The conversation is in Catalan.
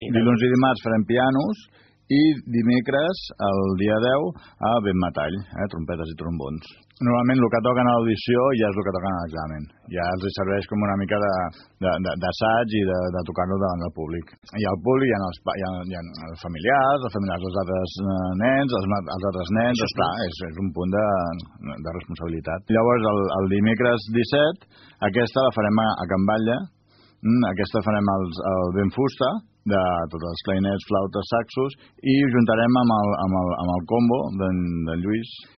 Dilluns i dimarts farem pianos i dimecres, el dia 10, a vent metall, trompetes i trombons. Normalment el que toquen a l'audició ja és el que toquen a l'examen. Ja els serveix com una mica d'assaig i de tocar-lo davant del públic. I al públic hi ha els familiars dels altres nens, els altres nens, esclar, és un punt de responsabilitat. Llavors, el dimecres 17, aquesta la farem a Can Batlle, aquesta farem el vent fusta, de tots els clarinets, flautes, saxos, i ho juntarem amb el combo d'en Lluís,